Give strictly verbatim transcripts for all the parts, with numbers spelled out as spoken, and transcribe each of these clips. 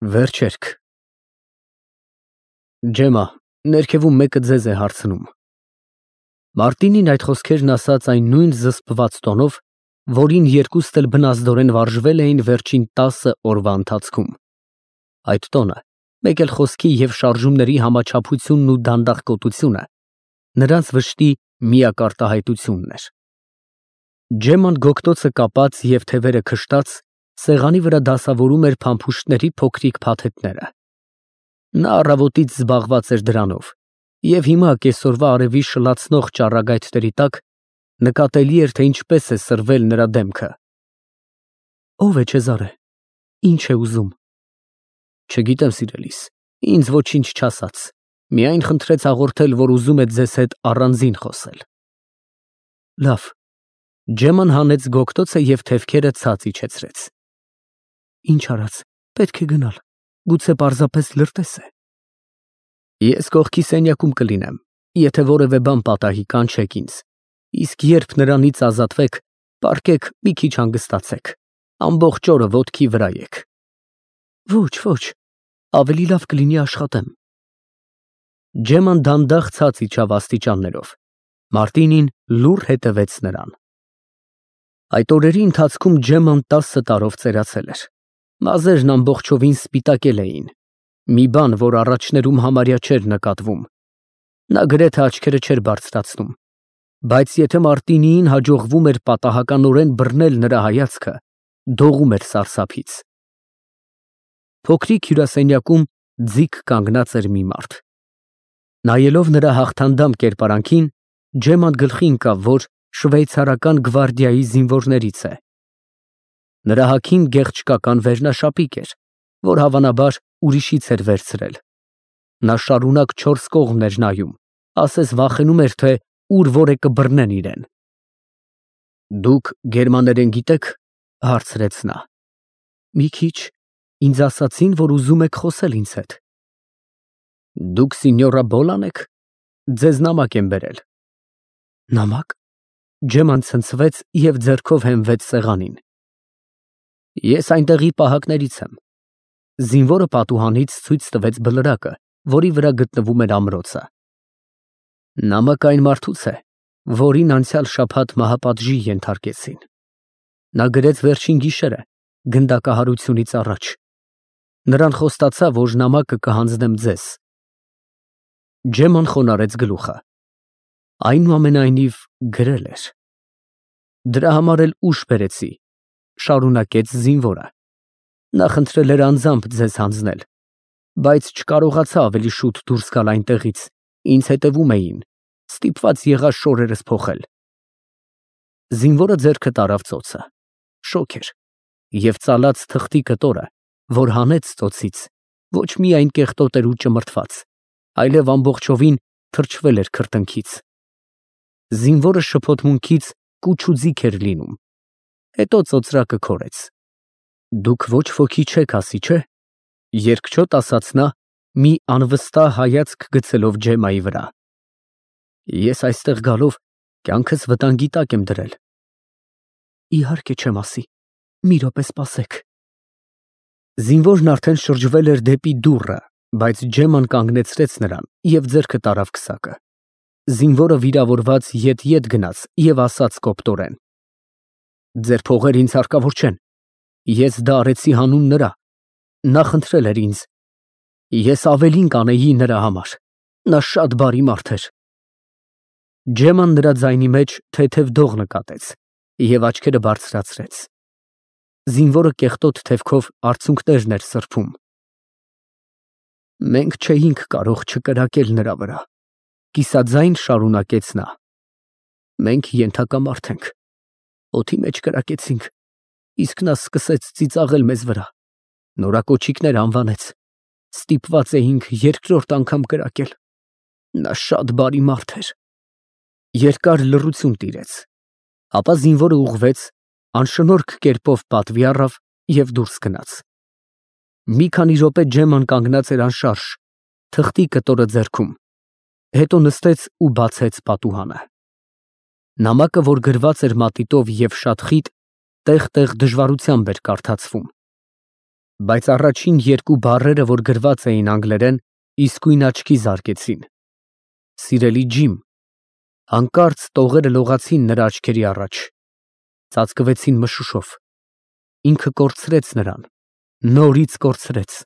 Վերջերք։ Ջեմա, ներքևում մեկը ձեզ է հարցնում։ Մարտինին այդ խոսքերն ասաց այն նույն զսպված տոնով, որին երկուստ էլ բնազդորեն վարժվել էին վերջին տասը օրվա ընթացքում։ Այդ տոնը, մեկ էլ խոսքի և շարժումների համաչափությունն ու դանդաղկոտությունը նրանց վշտի միակ արտահայտությունն էր։ Ջեման գոգտոցը կապած և թևերը քշտած, սեղանի վրա դասավորում էր փամփուշտների փոքրիկ փաթեթները։ Նա առավոտից զբաղված էր դրանով, և հիմա կեսօրվա արևի շլացնող ճառագայթների տակ նկատելի էր, թե ինչպես է սրվել նրա դեմքը։ Ո՞վ է Չեզարը, ինչ է ուզում։ Չգիտեմ, սիրելիս, ինձ ոչինչ չասաց, միայն խնդրեց հաղորդել, որ ուզում է ձեզ հետ առանձին խոսել։ Լավ։ Ջեման հանեց գոգտոցը և թևքերը ցած իջեցրեց։ Ինչ արած, պետք է գնալ, գուցե պարզապես լրտես է։ Ես կողքի սենյակում կլինեմ, եթե որևէ բան պատահի, կանչեք ինձ, իսկ երբ նրանից ազատվեք, պառկեք մի քիչ հանգստացեք, ամբողջ օրը ոտքի վրա եք։ Ոչ, ոչ, ավելի լավ կլինի աշխատեմ։ Ջեման դանդաղ ցած իջավ աստիճաններով, Մարտինին լուռ հետևեց նրան։ Այդ օրերի ընթացքում Ջեման տասը տարով ծերացել էր, մազերն ամբողջովին սպիտակել էին, մի բան, որ առաջներում համարյա չէր նկատվում։ Նա գրեթե աչքերը չէր բարձրացնում, բայց եթե Մարտինիին հաջողվում էր պատահականորեն բռնել նրա հայացքը, դողում էր սարսափից։ Փոքրիկ հյուրասենյակում ձիգ կանգնած էր մի մարդ։ Նայելով նրա հաղթանդամ կերպարանքին, Ջեման գլխի ընկավ, որ շվեյցարական գվարդիայի զինվորներից է։ Նրա հագին գեղչկական վերնաշապիկ էր, որ հավանաբար ուրիշից էր վերցրել։ Նա շարունակ չորս կողմն էր նայում, ասես վախենում էր, թե ուր որ է կբռնեն իրեն։ Դուք գերմաներեն գիտե՞ք, հարցրեց նա։ Մի քիչ, ինձ ասացին, որ ուզում եք խոսել ինձ հետ։ Դուք սինյորա Բոլան եք, ձեզ նամակ եմ բերել։ Նամակ։ Ջեման ցնցվեց և ձեռքով հենվեց սեղանին։ Ես այնտեղի պահակներից եմ։ Զինվորը պատուհանից ցույց տվեց բլրակը, որի վրա գտնվում էր ամրոցը։ Նամակը այն մարդուց է, որին անցյալ շաբաթ մահապատժի ենթարկեցին։ Նա գրեց վերջին գիշերը, գնդակահարությունից առաջ։ Նրան խոստացա, որ նամակը կհանձնեմ ձեզ։ Ջեման խոնարհեց գլուխը։ Այնուամենայնիվ գրել էր։ Դրա համար էլ ուշ բերեցի, շարունակեց զինվորը։ Նա խնդրել էր անձամբ ձեզ հանձնել, բայց չկարողացա ավելի շուտ դուրս գալ այնտեղից, ինձ հետևում էին, ստիպված եղա շորերս փոխել։ Զինվորը ձեռքը տարավ ծոցը, շոգ էր, և ծալած թղթի կտորը, որ հանեց ծոցից, ոչ միայն կեղտոտ էր ու ճմրթված, այլև ամբողջովին թրջվել էր քրտինքից։ Զինվորը շփոթմունքից կուչ ու ձիգ էր լինում, հետո ծոծրակը քորեց։ Դուք ոչ ոքի չեք ասի, չէ՞, երկչոտ ասաց նա, մի անվստահ հայացք գցելով Ջեմայի վրա։ Ես այստեղ գալով կյանքս վտանգի տակ եմ դրել։ Իհարկե չեմ ասի, մի րոպե սպասեք։ Զինվորն արդեն շրջվել էր դեպի դուռը, բայց Ջեման կանգնեցրեց նրան և ձեռքը տարավ քսակը։ Զինվորը վիրավորված ետ-ետ գնաց և ասաց կոպտորեն. Ձեր փողերը ինձ հարկավոր չեն, ես դա արեցի հանուն նրա, նա խնդրել էր ինձ, ես ավելին կանեի նրա համար, նա շատ բարի մարդ էր։ Ջեման նրա ձայնի մեջ թեթև դող նկատեց և աչքերը բարձրացրեց։ Զինվորը կեղտոտ թևքով արցունքներն էր սրբում։ Մենք չէինք կարող չկրակել նրա վրա, կիսաձայն շարունակեց նա։ Մենք ենթակամարդ ենք, օդի մեջ կրակեցինք, իսկ նա սկսեց ծիծաղել մեզ վրա, նորակոչիկներ անվանեց, ստիպված էինք երկրորդ անգամ կրակել, նա շատ բարի մարդ էր։ Երկար լռություն տիրեց, ապա զինվորը ուղղվեց, անշնորհք կերպով պատվի առավ և դուրս գնաց։ Մի քանի րոպե Ջեման կանգնած էր անշարժ, թղթի կտորը ձեռքում, հետո նստեց ու բացեց պատուհանը։ Նամակը, որ գրված էր մատիտով և շատ խիտ, տեղ֊տեղ դժվարությամբ էր կարդացվում։ Բայց առաջին երկու բառերը, որ գրված էին անգլերեն, իսկույն աչքի զարկեցին։ Սիրելի Ջիմ։ Հանկարծ տողերը լողացին նրա աչքերի առաջ, ծածկվեցին մշուշով։ Ինքը կորցրեց նրան, նորից կորցրեց։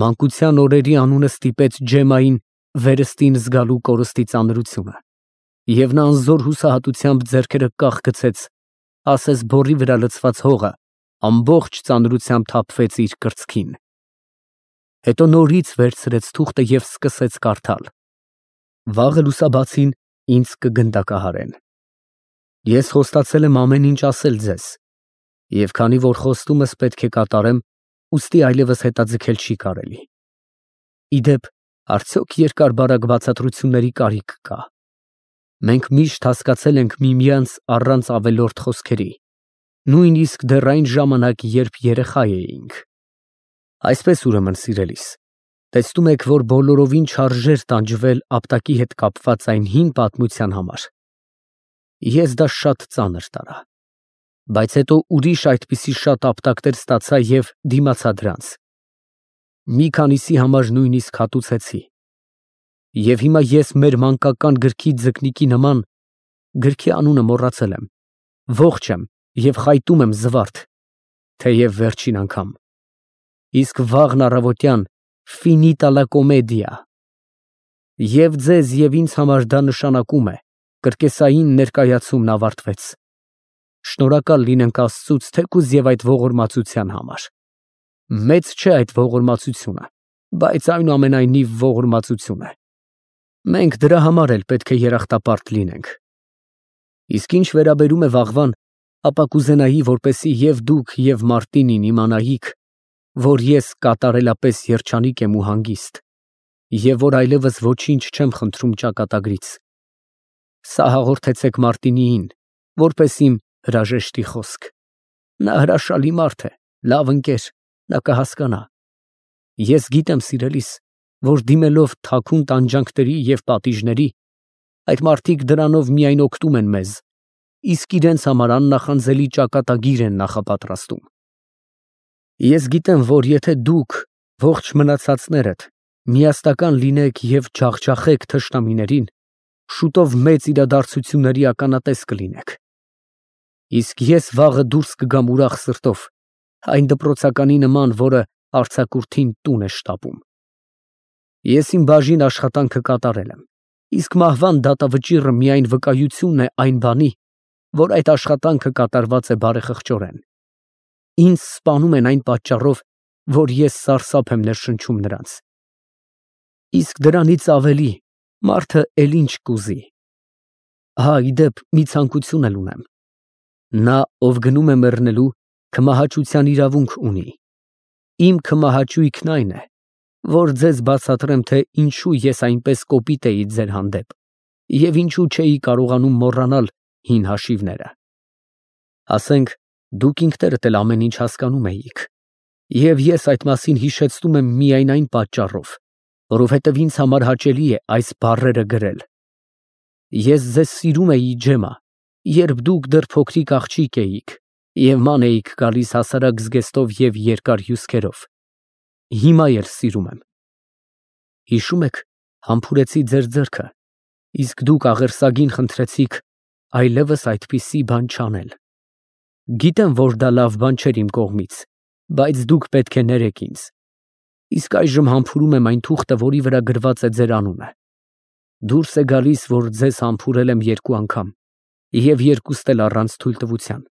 Մանկության օրերի անունը ստիպեց Ջեմմային վերստին զգալու կորստի ծանրությունը, և նա անզոր հուսահատությամբ ձեռքերը կախ գցեց, ասես բորի վրա լցված հողը ամբողջ ծանրությամբ թափվեց իր կրծքին։ Հետո նորից վերցրեց թուղթը և սկսեց կարդալ. «Վաղը լուսաբացին ինձ կգնդակահարեն։ Ես խոստացել եմ ամեն ինչ ասել ձեզ, և քանի որ խոստումս պետք է կատարեմ, ուստի այլևս հետաձգել չի կարելի։ Ի դեպ, արդյոք երկար֊բարակ բացատրությունների կարիք կա։ Մենք միշտ հասկացել ենք միմյանց առանց ավելորդ խոսքերի, նույնիսկ դեռ այն ժամանակ, երբ երեխա էինք։ Այսպես, ուրեմն, սիրելիս, տեսնում եք, որ բոլորովին չարժեր տանջվել ապտակի հետ կապված այն հին պատմության համար։ Ես դա շատ ծանր տարա, բայց հետո ուրիշ այդպիսի շատ ապտակներ ստացա և դիմացա դրանց։ Մի քանիսի համար նույնիսկ հատուցեցի։ Եվ հիմա ես մեր մանկական գրքի ձկնիկի նման (գրքի անունը մոռացել եմ) ողջ եմ և խայտում եմ զվարթ, թեև վերջին անգամ։ Իսկ վաղն առավոտյան finita la commedia։ Եվ ձեզ և ինձ համար դա նշանակում է. կրկեսային ներկայացումն ավարտվեց։ Շնորհակալ լինենք Աստծուց թեկուզ և այդ ողորմածության համար։ Մեծ չէ այդ ողորմածությունը, բայց այնուամենայնիվ ողորմածություն է։ Մենք դրա համար էլ պետք է երախտապարտ լինենք։ Իսկ ինչ վերաբերում է վաղվան, ապա կուզենայի, որպեսզի և դուք, և Մարտինին իմանայիք, որ ես կատարելապես երջանիկ եմ ու հանգիստ, և որ այլևս ոչինչ չեմ խնդրում ճակատագրից։ Սա հաղորդեցեք Մարտինիին, որպես իմ հրաժեշտի խոսք։ Նա հրաշալի մարդ է, լավ ընկեր, նա կհասկանա։ Ես գիտեմ, սիրելիս, որ դիմելով թաքուն տանջանքների և պատիժների, այդ մարդիկ դրանով միայն օգնում են մեզ, իսկ իրենց համար աննախանձելի ճակատագիր են նախապատրաստում։ Ես գիտեմ, որ եթե դուք, ողջ մնացածներդ, միասնական լինեք և ջախջախեք թշնամիներին, շուտով մեծ իրադարձությունների ականատես կլինեք։ Իսկ ես վաղը դուրս կգամ ուրախ սրտով, այն դպրոցականի նման, որը արձակուրդին տուն է շտապում։ Ես իմ բաժին աշխատանքը կատարել եմ, իսկ մահվան դատավճիռը միայն վկայությունն է այն բանի, որ այդ աշխատանքը կատարված է բարեխղճորեն։ Ինձ սպանում են այն պատճառով, որ ես սարսափ եմ ներշնչում նրանց։ Իսկ դրանից ավելի մարդը էլ ինչ կուզի։ Հա, ի դեպ, մի ցանկություն էլ ունեմ։ Նա, ով գնում է մեռնելու, քմահաճության իրավունք ունի։ Իմ քմահաճույքն այն է, որ ձեզ բացատրեմ, թե ինչու ես այնպես կոպիտ էի ձեր հանդեպ և ինչու չէի կարողանում մոռանալ հին հաշիվները։ Ասենք, դուք ինքներդ էլ ամեն ինչ հասկանում էիք, և ես այդ մասին հիշեցնում եմ միայն այն պատճառով, որովհետև ինձ համար հաճելի է այս բառերը գրել։ Ես ձեզ սիրում էի, Ջեմմա, երբ դուք դեռ փոքրիկ աղջիկ էիք և ման էիք գալիս հասարակ զգեստով և երկար հյուսքերով։ Հիմա էլ սիրում եմ։ Հիշո՞ւմ եք, համբուրեցի ձեր ձեռքը, իսկ դուք աղերսագին խնդրեցիք այլևս այդպիսի բան չանել։ Գիտեմ, որ դա լավ բան չէր իմ կողմից, բայց դուք պետք է ներեք ինձ։ Իսկ այժմ համբուրում եմ այն թուղթը, որի վրա գրված է ձեր անունը։ Դուրս է գալիս, որ ձեզ համբուրել եմ երկու անգամ, և երկուստ էլ առանց թույլտվության։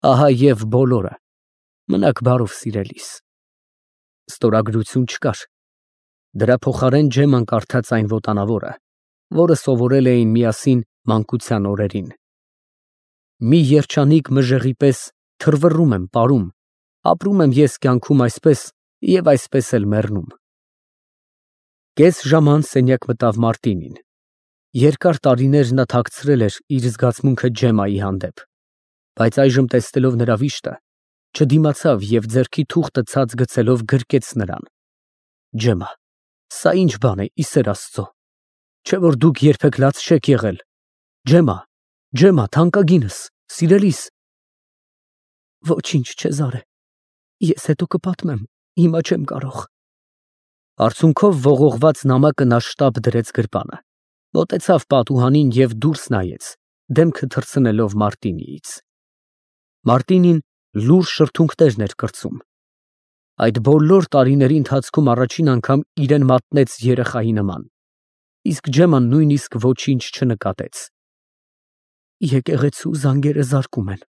Ահա և բոլորը։ Մնաք բարով, սիրելիս։ Ստորագրություն չկար։ Դրա փոխարեն Ջեմման կարդաց այն ոտանավորը, որը սովորել էին միասին մանկության օրերին։ Մի երջանիկ մժեղի պես թռվռում եմ, պարում, ապրում եմ ես կյանքում այսպես և այսպես էլ մեռնում։ Կես ժամ անց սենյակ մտավ Մարտինին։ Երկար տարիներ նա թաքցրել էր իր զգացմունքը Ջեմմայի հանդեպ, բայց այժմ տեսնելով նրա վիշտը, չդիմացավ և ձեռքի թուղթը ցած գցելով գրկեց նրան։ Ջեմմա, սա ի՞նչ բան է, ի սեր Աստծո, չէ՞ որ դուք երբեք լաց չեք եղել։ Ջեմմա, Ջեմմա, թանկագինս, սիրելիս։ Ոչինչ, Չեզարե, Ես հետո կպատմեմ, հիմա չեմ կարող։ Արցունքով ողողված նամակը նա շտապ դրեց գրպանը, մոտեցավ պատուհանին և դուրս նայեց, դեմքը թռցնելով Մարտինիից։ Մարտինին լուռ շրթունքներն էր կրծում։ Այդ բոլոր տարիների ընթացքում առաջին անգամ իրեն մատնեց երեխայի նման, իսկ Ջեման նույնիսկ ոչինչ չնկատեց։ Եկեղեցու զանգերը զարկում են,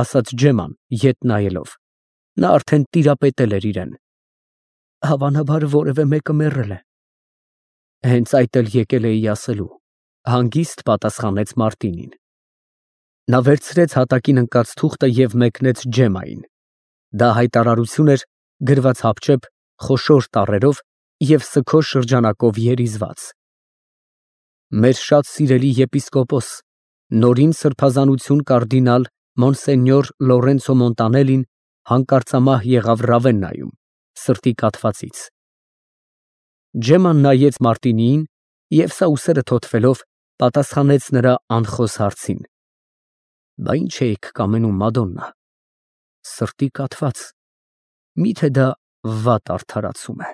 ասաց Ջեման, ետ նայելով, նա արդեն տիրապետել էր իրեն։ Հավանաբար որևէ մեկը մեռել է։ Հենց այդ էլ եկել էի ասելու, հանգիստ պատասխանեց Մարտինին։ Նա վերցրեց հատակին ընկած թուղթը և մեկնեց Ջեմային։ Դա հայտարարություն էր, գրված հապճեպ, խոշոր տառերով և սգո շրջանակով երիզված։ Մեր շատ սիրելի եպիսկոպոս, նորին սրբազանություն կարդինալ Մոնսենյոր Լորենցո Մոնտանելին հանկարծամահ եղավ Ռավեննայում, սրտի կաթվածից։ Ջեման նայեց Մարտինիին և սա ուսերը թոթվելով պատասխանեց նրա անխոս հարցին. Բա ինչ էիք կամենում, Մադոննա, սրտի կաթված, միթե դա վատ արդարացում է։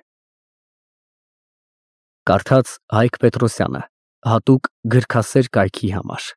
Կարդաց Հայկ Պետրոսյանը, հատուկ գրքասեր կայքի համար։